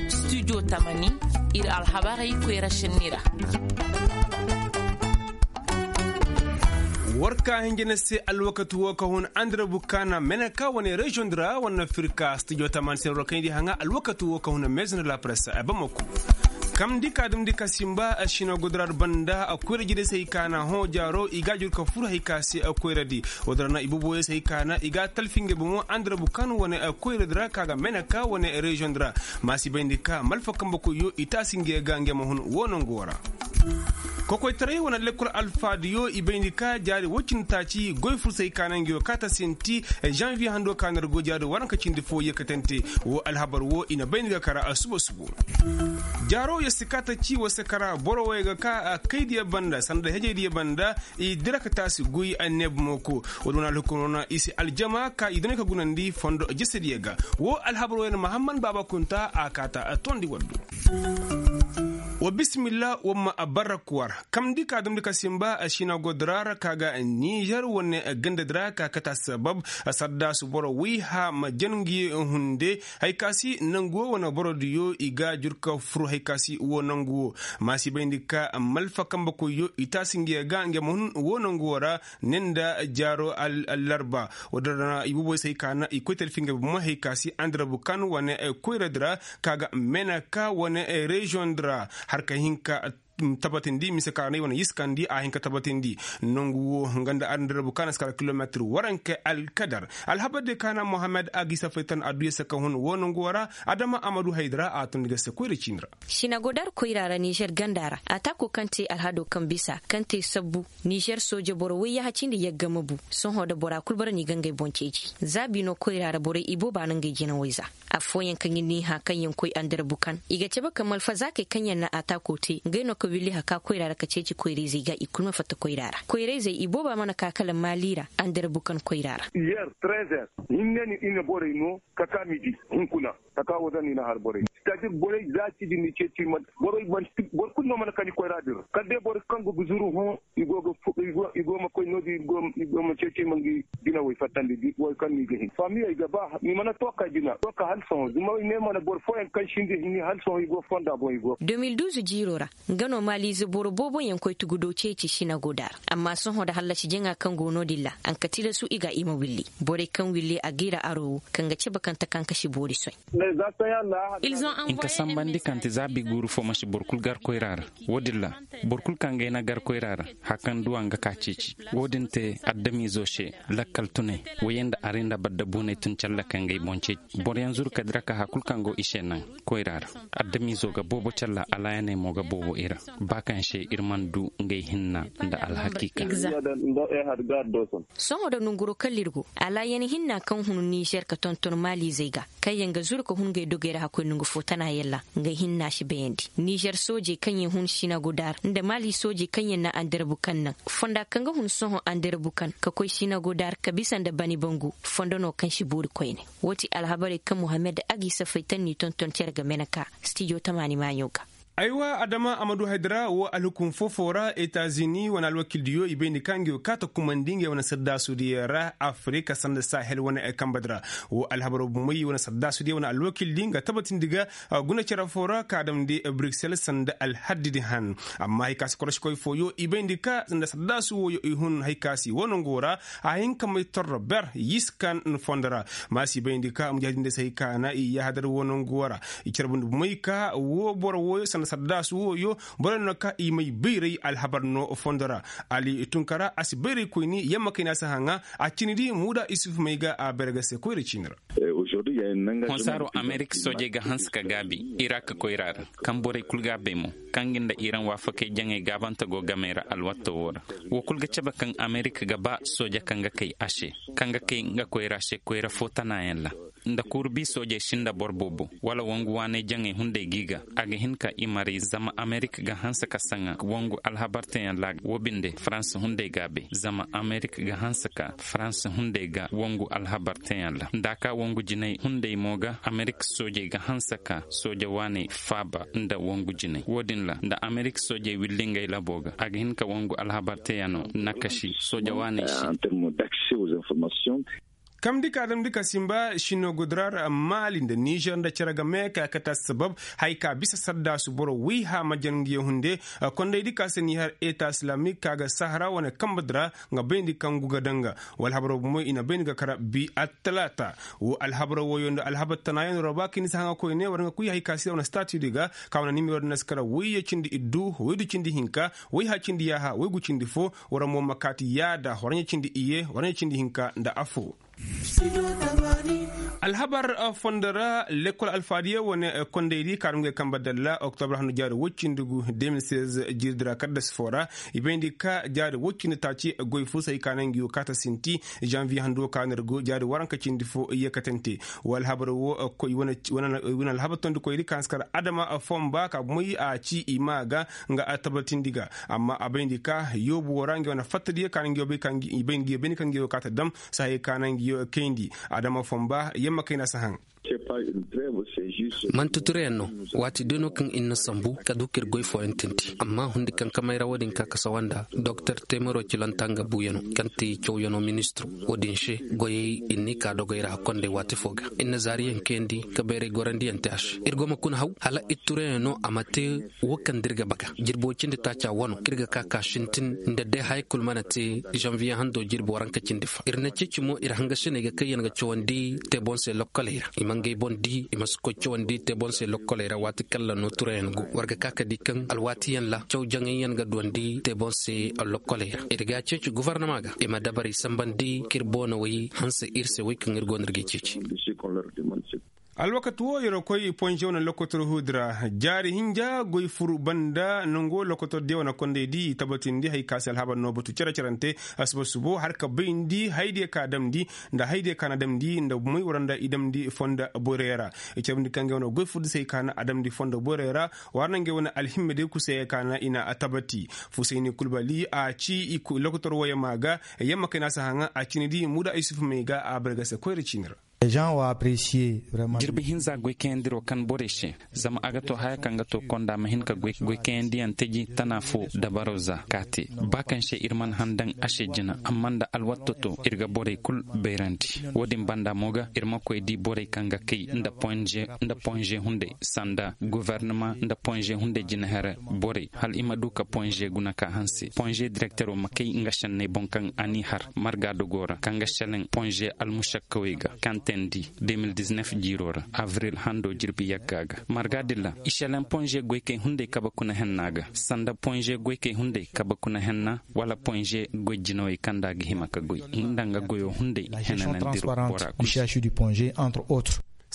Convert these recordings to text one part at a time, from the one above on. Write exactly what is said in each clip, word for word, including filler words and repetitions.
Studio tamani, ir alhabarey koyra senni ra. War ka hinja na se alwakati wo ka hun andira bukaana meneka wane reziyoŋ di ra wane firka studio tamani se ra war ka hin di haŋa alwakati wo ka hun mezin la presse bamako. Kamndi ka damndi ka simba sina godora banda koyra jire se hay ka na hõ jaaro i ga jur ka fur hay ka se koyra di. Wodora na i boboyo se hay ka na i ga talfi ngey bomo andira bukaana wane koyra di ra ka ga meneka wane reziyoŋ di ra. Ma si bayndi ka malfa kambe koyyo i taasi ngey ga ngey ma hun wo nango ra. Kokoytaray wane lekkol alfaadiyo i bayndi ka jaari woy cindi taaci goy fursay ka naŋ nguyo kaata sinti. Zanviye hando ka nargo jaari waranka cindi fo yeekatante. Wo alhabar wo i na bayndi ga kara suba subo. Jaaro ya si kaata ci wo se kara boro wo ya ga ka kaydiya banda sanda hejeydiya banda. I dira ka taasi guy anneebu mooko. Wo- di wane alhukumo na i si aljama ka i duna ka gunandi fondo jesediya ga. Wo alhabar wo ya na mahamman baaba kunta a kaata tondi waddu. Wa bisimilla wa ma barra kuwar. Kamndi ka damndi ka simba sina godora ra ka ga nizer wane gandadi ra ka kata sabab. Saddaasu boro wayha ma jangi hunde. Hay ka si nangu wo wane borodiyo i ga jur ka fur hay ka si wo nangu wo. Ma si bayndi ka malfa kambe koyyo i taasi ngiya ga nge ma hun wo nangu wo ra. Ninda jaaro allarba. Wadara i boboy se hay ka na i koy talfi nge bomo hay ka si andira bukan wane koyra dira ka ga mena ka wane reziyoŋ dira. Har ka hin ka tabatindi mise ka na i wane yiskandi a hin ka tabatindi. Nangu wo nga nda andira bukan a si kala kilometir waranke alkadar. Alhabar de ka na mohammed a gisa faytan adduya se ka hun wo nangu wo ra. Adama amadu haydara a tun ga se koyra ciini ra. Sinagodar koyra ra nizer ganda ra a taako kaŋ te alhado kaŋ bisa kaŋ te sabbu. Nizer sooje boro wayyaha cindi yagga ma bu. Sohõ da bora kul bara no i ga ngey boŋ ceeci za bino koyra ra borey ibooba no ngey jinawey za. Affooyaŋ kaŋ ir n'i hã kaŋ yaŋ koy andarabu kan i ga cabe ka malfa zaakey kaŋ yaŋ na a taako te ngey no ka willi haka koyra ra ka ceeci koyra-izey ga i kul ma fatta koyra ra koyra-izey ibooba mana ka kala maali ra. Andarabu kan koyra ra. Yer trezer hinne ni i na borey no ka ka midi hunkuna. Taka wo zan ni na har borey sitaadir borey za ci din ni ceeci man borey man boro kulu no mana kani koyra din ra kala day boro kaŋ ga guzuru hõ. I go ga i go ma koy no din i go ma ceeci man gi jina way fattandi di way kaŋ ni ga hin famiyey ga ba ni mana to ka jina to ka hal sohõ zuma way ne mana boro fooyaŋ kaŋ sindi hinni hal sohõ i go fonda boŋ i go. Deux mille douze jiiro ra nga no maaliize boro boobo yaŋ koy tugudo ceeci sinagoda ra. Amma sohõ da hallasi jaŋa kaŋ go no din ra a nka tilasu i ga i ma willi borey kaŋ willi a g'i ra aro wo kaŋ ga cabe kaŋ ta kaŋ ka si boori soy. Nka sambandi kaŋ ti zaabi guuru fo ma si boro kul gar koyra ra. Wo-din ra boro kul kaŋ ga ay na gar koyra ra hari kaŋ duwa nga ka ceeci. Wo-din te adamiizo se lakkal tunay. Wayey nda aray nda badda buunay tun calla kaŋ ga ay boŋ ceeci boroyaŋ zuru ka dira ka hari kul kaŋ go i se naŋ koyra ra. Adamiizo ga boobo calla alaayaney mo ga boobo i ra. Ba kaŋ se ir mana du ngey hinna nda alhakiika. Sohõ da nonguro kala ir go alaayan hinna kaŋ hun nizer ka tonton maaliizey ga kaŋ yaŋ ga zuru ka hun ngey dogey ra hakkoy nongu fo tana yalla. Ngey hinna si bayandi nizer soojey kaŋ yaŋ hun sinagoda ra nda maali soojey kaŋ yaŋ na andarabu kaŋ naŋ fonda kaŋ ga hun sohõ andarabu kaŋ ka koy sinagoda ra ka bisa nda bani bangu. Fondo no kaŋ si boori koyne. Wo ti alhabarey kaŋ mohammed agi safay taŋ n'i tonton cere ga mene ka stijo tamaani maaɲo ga. Aywa adama amadu haydara wo alhukum foo-foo ra etazini wane alwakildiyo i bay ni ka ngey wo kaata kumandi ngey wane saddaasudiyo ra afirika sanda sahel wane kambadi ra. Wo alhabaro bumey wane saddaasudiyo wane alwakildi nga tabatindi ga guna cere foo ra ka damndi bruksel sanda alhaddidi han. Amma hay ka si korosikoy fooyo i bayndi ka nda saddaasu wooyo i hun hay ka si wo nongo ra. A hin ka may torro ber yiskan fondo ra. Ma si bayndi ka mujahidinde se hay ka na i yahadar wo nongo ra. I carbundi bumey ka wo boro wooyo sanda saddaasu wooyo boro no ka i may bayray alhabar no fondo ra. Ali tunkara a si bayray koyni yamma kayna si haŋa. A cindi muuda isuf may ga a bayra ga se koyra ciini ra. Honsaaro amerik soojey ga hanse ka gaabi irak koyra ra. Kaŋ borey kul ga a bay mo kaŋ ga nda iran waafakey jaŋey gaabante go gamey ra alwatto wo ra. Wo kul ga cabe kaŋ amerik ga ba sooja kaŋ ga kay a se kaŋ ga kay nga koyra se koyra fo tanayaŋ ra. Nda kuuru bi soojey sinda boro boobo wala wangu waaney jaŋey hunday g'i ga a ga hin ka i maray zama amerik ga hanse ka saŋa wangu alhabarteyaŋ ra. Wo binde farans hunday gaabey zama amerik ga hanse ka farans hunday ga wangu alhabarteyaŋ ra nda a ka wangu jinay hunday mo ga amerik soojey ga hanse ka sooja waaney faaba nda wangu jinay wo-din ra nda amerik soojey willi ngey labo ga a ga hin ka wangu alhabarteyaŋo nakasi sooja waaney se. Kamndi ka damndi ka simba sinogudra ra maali nda nizer nda cere game ka kate assabab, haya ka bisa saddaasu boro woy hã ma jan nga ye hunde. Kondaydi ka se ni har eta islamik ka ga sahara wane kambe di ra, nga bayndi kaŋ gu ga daŋ ga. Wala alhabar wo bomo i na bayndi ga kara bi attalaata. Wo alhabar woyo nda alhabar tanaayo nda roba ka ni si haŋa koyne war nga kuy haya ka si ra wane stati di ga, ka wane nimero di na si kara woyye cindi iddu woydu cindi hinka, woy hã cindi yaaha woy gu cindi fo. War mo ma kaati yaada war ɲa cindi iye war ɲa cindi hinka nda afo. Alhabar fondo ra lekkol alfaadiya wane kondaydi kaarungay kambe dalla oktobra handu jaari woy cindi gu de mil seize jiirdi ra kaddas fo ra. I bayndi ka jaari woy cindi taaci goy fo se hay ka naŋ ngi wo kaata sinti. Janviye handu wo ka na ir go jaari waranka cindi fo yeekatante. Wo alhabar wo koy wane alhabar tondikoydi ka na si kar adama fomba ka moy a ci i ma ga nga a tabatindi ga. Amma a bayndi ka yoobu wo ra ngi wane fattadiyo ka naŋ ngi yo bay ka ngi bay ngi yo bay ni ka ngi yo kaata dam. Sahay ka naŋ ngi yo kayndi adama fomba yamma kayna si haŋ. Manti tureyaŋ no. Waati day no kaŋ ir na sambu ka du ka ir goy fooyaŋ tinti amma hundi kaŋ ka mayra wo-din ka ka sawa nda doktor temero cilanta nga buuyano kaŋ ti cawyaŋo ministiro. Wo-din se goyey ir n'i ka dogey ra kondey waati fo ga ir na zaariyaŋ kayandi ka bayray gorandiyaŋ te a se ir go ma kuna haw hala ir tureyaŋo a ma te. Wo kaŋ da ir ga baga jirbi wo cindi taaca wano kaŋ ir ga ka ka sintin nda day haya kul mana te. Zanviye hando jirbi waranka cindi fa ir na ceeci mo ir hangasiney ga kaŋ yaŋ ga cawandi te boŋ se lokkoley ra i ma ngey boŋ di i ma si koy cawandi te boŋ se lokkoley ra waati kaŋ ra no turayaŋ go war ga ka ka di kaŋ alwaatiyaŋ ra caw jaŋayyaŋ ga duwandi te boŋ se lokkoley ra ir ga a ceeci gofornama ga i ma dabarey sambandi kaŋ ir boonawey hanse ir se wey kaŋ ir go no ir g'ey ceeci. Alwakati wo yer koy ponze wane lokotor huudi ra jaari hinja goy fur banda nango lokotor diya wane kondey di i tabatindi hay ka se alhabar no batu cere-cerante. Asuba subo har ka bayndi haydiya ka damndi nda haydiya ka na damndi nda moy wara nda i damndi fonda borey ra. I cabandi ka ngey wane goy fur di se hay ka na a damndi fonda borey ra. War na ngey wane alhimme day kusey hay ka na i na a tabati. Fusayni kulbali a ci lokotor woyey ma ga yamma kay na si haŋa a cini di muda isuf may ga a bargase koyra cini ra. Jirbi hinza goy kayandiro kaŋ borey se zama a ga to haya kaŋ ga to konda ma hin ka goy kayandiyaŋ teji tana fo dabaro za ka te. Ba kaŋ se ir mana handaŋ a se jina amma nda alwatto to ir ga borey kul bayrandi. Wo-din banda mo ga ir ma koy di borey kaŋ ga kay nda ponze hunday sanda guvernama nda ponze hunday jina here borey hala i ma du ka ponze guna ka hanse ponze direktero ma kay nga senney boŋ kaŋ a n'i har marga dogo ra kaŋ ga seleŋ ponze almusakkawey ga kaŋ teendi de mil diznef jiiro ra avril hando jirbi yagga ga marga din ra i seleŋ ponze goykey hunday kabe kuna henna ga sanda ponze goykey hunday kabe kuna henna wala ponze goy jinawey kaŋ nda a ga hima ka goy nda nga goyo hunday henanandir bora kul.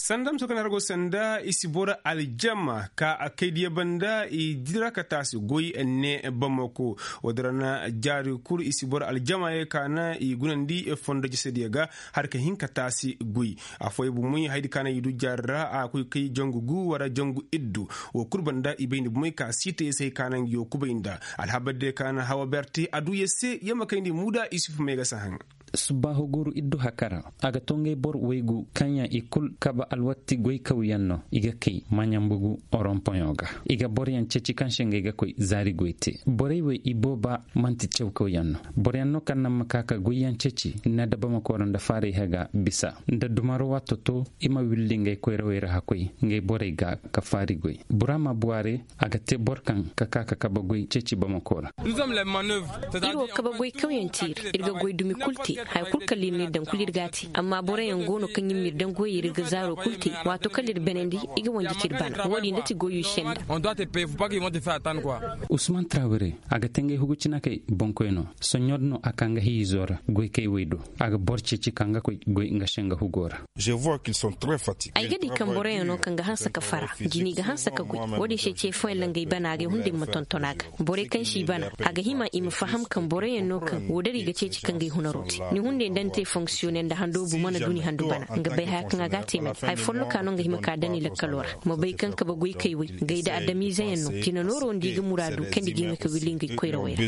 Sanda muso kaŋ na har go sanda i si boro aljama ka a kaydiya banda i dira ka taasi goy ne bamako. Wo-din ra na jaari kul i si boro aljama ye ka na i gunandi fondo jesediyo ga har ka hin ka taasi goy. Afooyaŋ bomoy haydi ka na i du jaari ra a koy kay jangu gu wara jangu iddu. Wo kul banda i bayndi bomoy ka siita ye se hay ka na ngi yo kubay nda alhabar diyo ka na hawa berte a du ye se yamma kayndi muda isuf may ga si haŋ. Subbaaho guuru iddu haka ra a ga to ngey bor waygu kaŋ yaŋ i kul kabe alwatti goykawyaŋ no i ga kay maɲambugu oronpoŋo ga. I ga boroyaŋ ceeci kaŋ se ngey ga koy zaari goy te borey wey i booba man'ti cawkawyaŋ no. Boroyaŋ no kaŋ naŋ ma ka ka goyyaŋ ceeci nda bamako ra nda faarayhe ga bisa nda dumaro waato to i ma willi ngey koyrawey ra hakkoy ngey borey ga ka faari goy. Burama buwaare a ga te boro kaŋ ka ka ka kabe goy ceeci bamako ra. Ir wo kabe goy kawyaŋ te ir ir ga goy dumi kul te haya kul kala ir n'ir daŋ kul ir g'a te amma boroyaŋ go no kaŋ ir m'ir daŋ goyey ra ir ga zaaro kul te. Waato kala ir banandi i ga wanji k'ir bana wo-din da ti goyey se nda. Usman trawere a ga te ngey hugu cinakey boŋkoy no soɲõ din no a ka nga hiizo ra goykey wey do. A ga boro ceeci ka nga koy goy nga se nga hugo ra. Ay ga di kaŋ boroyaŋ no kaŋ ga hanse ka fara jini ga hanse ka goy. Wo-din se ce fooyaŋ ra ngey bana agay hunday ma tonton a ga borey kaŋ si bana a ga hima i ma faham kaŋ boroyaŋ no kaŋ woo da ra i ga ceeci ka ngey hunaro te. Ni hunday nda ni te fonksiyone nda handoobu mana du ni handu bana nga bay haya kaŋ a ga a te mate haya folloka no nga hima ka daŋ i lakkaloo ra. Ma bay kaŋ kabe goykey wey ngey nda adamiizeyaŋ no jina nooro nda i ga muraadu kaŋ nda i ga hima ka willi ngey koyrawey ra.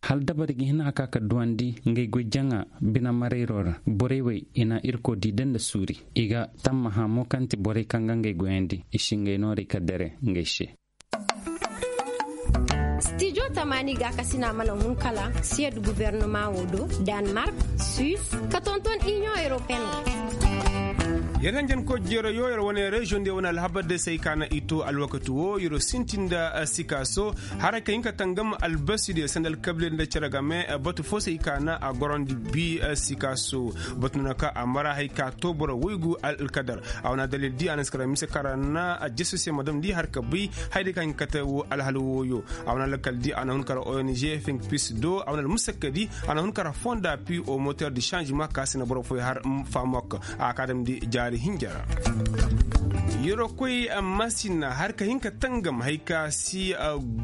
Hala dabari ga hin a ka ka duwandi ngey goy jaŋa bine marayro ra borey wey i na irkoy di da nda suuri. I ga tammaha mo kaŋ ti borey kaŋ ga ngey goyandi i si ngey noorey ka dere ngey se. Studio tamaani gaakasina mana hun kala siyed gubernama wo do, danmark, suis, ka tonton iniyoŋ europeen wo. Yer hanjanko jeero yo yer wane reziyoŋ diyo wane alhabar day se ay ka na i to alwakati wo yer sinti nda sikaaso, haray ka hin ka tangam albasi diyo sanda alkabile nda cere game batu fo se ay ka na a gorondi bi sikaaso. Batu no na ka a mara hay ka to boro woygu alkadar. A wane adalil di a na si kara mise kara na a jesu se ma dam di har ka bay, hay day ka hin ka te wo alhal wooyo. A wane alkal di a na hun kara ong fink pis do a wane almusakka di, a na hun kara fonda pi o moter di sanzima ka si na boro foy har famok. A ka dam di jaari hinja ra. Yero koy masina har ka hin ka tangam hay ka si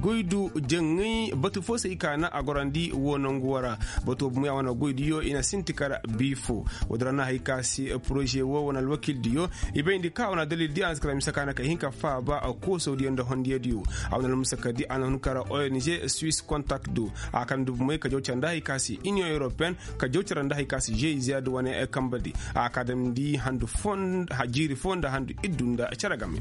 goydu jaŋay batu fo se i ka na a gorandi wo nangu wara. Batu wo bumey a wane goydiyo i na sinti kara bi fo. Woodin ra na hay ka si poroze wo wane alwakildiyo i bayndi ka wane adalil di a na si kara mise ka na ka hin ka faaba koosodiyo nda hondiyadiyo. A wane almusakka di a na hun kara ong suis contact do. A ka dam di bumey ka jaw care nda hay ka si iniyoŋ europeen, ka jaw care nda hay ka si geiz wane kamba di. A ka dam di handu foo nda handu iddu nda care game.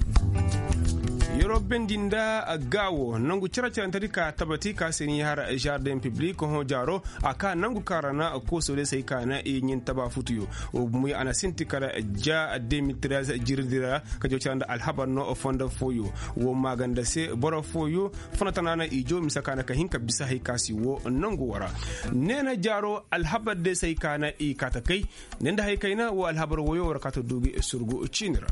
Yeroo bendi nda gaawo nangu care carante di ka tabati ka se ni har jardin piblik hõ jaaro. A ka nangu kaŋ ra na koosoo day se ay ka na i ɲin taba futuyo. Wo bumey a na sinti kara ja de mil trez jirdi ra ka jaw care nda alhabar no fondo fooyo. Wo maaganda se boro fooyo funa tana na i jaw mise ka na ka hin ka bisa hay ka si wo nangu wo ra. Neena jaaro alhabar day se ay ka na i kaata kay. Ne nda hay kayna wo alhabar woyo war ka ta du gi surgu ciini ra.